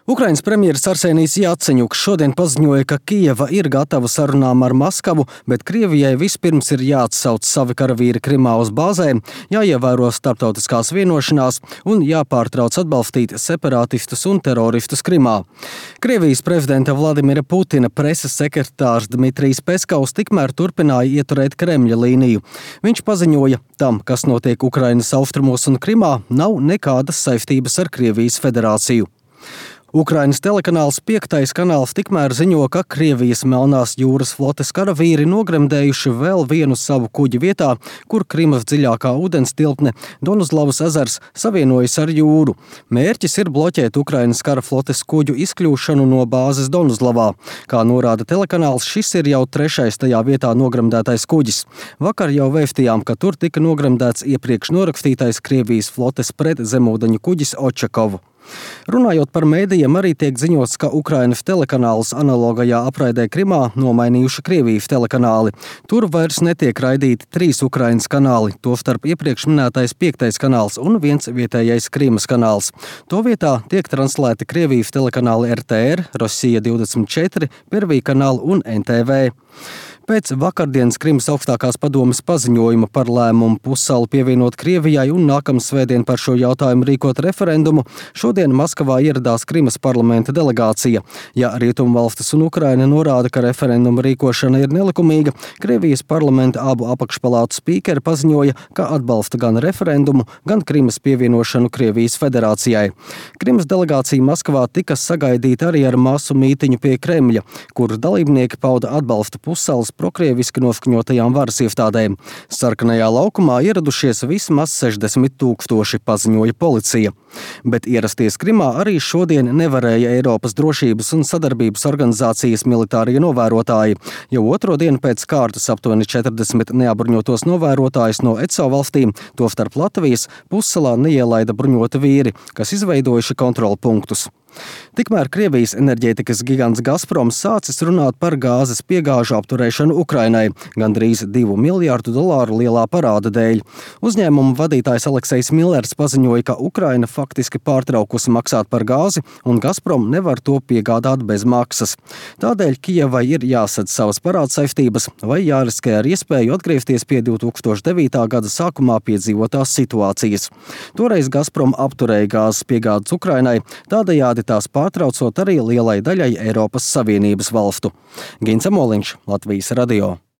Ukrainas premjeras Arsenijs Jaceņuks šodien paziņoja, ka Kijeva ir gatava sarunām ar Maskavu, bet Krievijai vispirms ir jāatsauc savi karavīri Krimā uz bāzēm, jāievēro starptautiskās vienošanās un jāpārtrauc atbalstīt separātistus un teroristus Krimā. Krievijas prezidenta Vladimira Putina preses sekretārs Dmitrijs Peskavs tikmēr turpināja ieturēt Kremļa līniju. Viņš paziņoja, tam, kas notiek Ukrainas austrumos un Krimā, nav nekādas saistības ar Krievijas federāciju. Ukrainas telekanāls 5. kanāls tikmēr ziņo, ka Krievijas Melnās jūras flotes karavīri nogremdējuši vēl vienu savu kuģi vietā, kur Krimas dziļākā ūdens tilpne Donuzlavas ezers savienojas ar jūru. Mērķis ir bloķēt Ukrainas kara flotes kuģu izkļūšanu no bāzes Donuzlavā. Kā norāda telekanāls, šis ir jau 3. tajā vietā nogremdētais kuģis. Vakar jau vēstījām, ka tur tika nogremdēts iepriekš norakstītais Krievijas flotes pretzemūdeņu kuģis Očakovu. Runājot par mēdījiem, arī tiek ziņots, ka Ukrainas telekanāls analogajā apraidē Krimā nomainījuši Krievijas telekanāli. Tur vairs netiek raidīti 3 Ukrainas kanāli, tostarp iepriekš minētais 5. kanāls un viens vietējais Krimas kanāls. To vietā tiek translēti Krievijas telekanāli RTR, Rossija 24, Pirvī kanāli un NTV. Pēc vakardienas Krimas augstākās padomes paziņojuma par lēmumu pussalu pievienot Krievijai un nākamā svētdien par šo jautājumu rīkot referendumu, šodien Maskavā ieradās Krimas parlamenta delegācija. Ja Rietumvalstis un Ukraina norāda, ka referenduma rīkošana ir nelikumīga, Krievijas parlamenta abu apakšpalātu spīkeri paziņoja, ka atbalsta gan referendumu, gan Krimas pievienošanu Krievijas federācijai. Krimas delegācija Maskavā tika sagaidīta arī ar masu mītiņu pie Kremļa, kur dalībnieki pauda atbalstu pussalas prokrieviski noskaņotajām varas iestādēm. Sarkanajā laukumā ieradušies vismaz 60 000, paziņoja policija. Bet ierasties Krimā arī šodien nevarēja Eiropas drošības un sadarbības organizācijas militārie novērotāji. Jau otro dienu pēc kārtas aptuveni 40 neapbruņotos novērotājus no ECO valstīm, tostarp Latvijas, pussalā neielaida bruņoti vīri, kas izveidojuši kontrolpunktus. Tikmēr Krievijas enerģētikas gigants Gazprom sācis runāt par gāzes piegāžu apturēšanu Ukrainai, gandrīz $2 miljārdu lielā parāda dēļ. Uzņēmuma vadītājs Aleksejs Millers paziņoja, ka Ukraina faktiski pārtraukusi maksāt par gāzi un Gazprom nevar to piegādāt bez maksas. Tādēļ Kijevai ir jāsadz savas parādsaistības vai jāriskē ar iespēju atgriezties pie 2009. gada sākumā piedzīvotās situācijas. Toreiz Gazprom apturēja gāzes piegādes Ukrainai, tādējādi tās pārtraucot arī lielai daļai Eiropas Savienības valstu. Gins Amoliņš, Latvijas radio.